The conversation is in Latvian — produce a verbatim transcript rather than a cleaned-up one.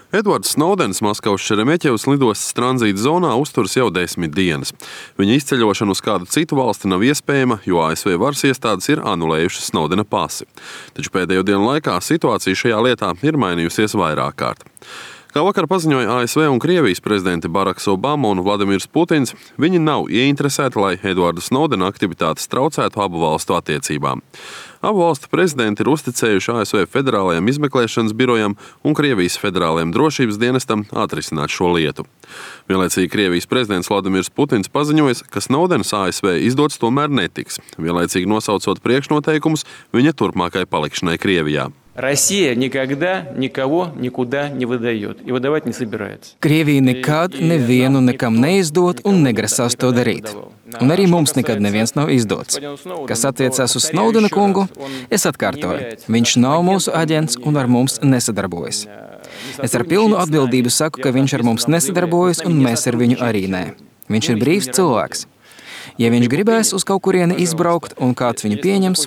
Edvards Snowdens Maskavas Šeremeķevas lidostas tranzīta zonā uzturas jau desmit dienas. Viņa izceļošana uz kādu citu valsti nav iespējama, jo A S V varas iestādes ir anulējušas Snowdena pasi. Taču pēdējo dienu laikā situācija šajā lietā ir mainījusies vairāk kārt. Kā vakar paziņoja A S V un Krievijas prezidenti Baraks Obama un Vladimirs Putins, viņi nav ieinteresēti, lai Edvarda Snowdena aktivitātes traucētu abu valstu attiecībām. Abu valstu prezidenti ir uzticējuši A S V Federālajam izmeklēšanas birojam un Krievijas Federālajam drošības dienestam atrisināt šo lietu. Vienlaicīgi Krievijas prezidents Vladimirs Putins paziņoja, ka Snowdens A S V izdots tomēr netiks, vienlaicīgi nosaucot priekšnoteikumus viņa turpmākai palikšanai Krievijā. Россия никогда никого никуда не выдает и выдавать не собирается. Krievija nekad nevienu nekam neizdot un negrasās to darīt. Un arī mums nekad neviens nav izdots. Kas attiecās uz Snowdena kungu, es atkārtoju, viņš nav mūsu aģents un ar mums nesadarbojas. Es ar pilnu atbildību saku, ka viņš ar mums nesadarbojas un mēs ar viņu arī nē. Viņš ir brīvs cilvēks. Ja viņš gribēs uz kaut kurieni izbraukt un kāds viņu pieņems,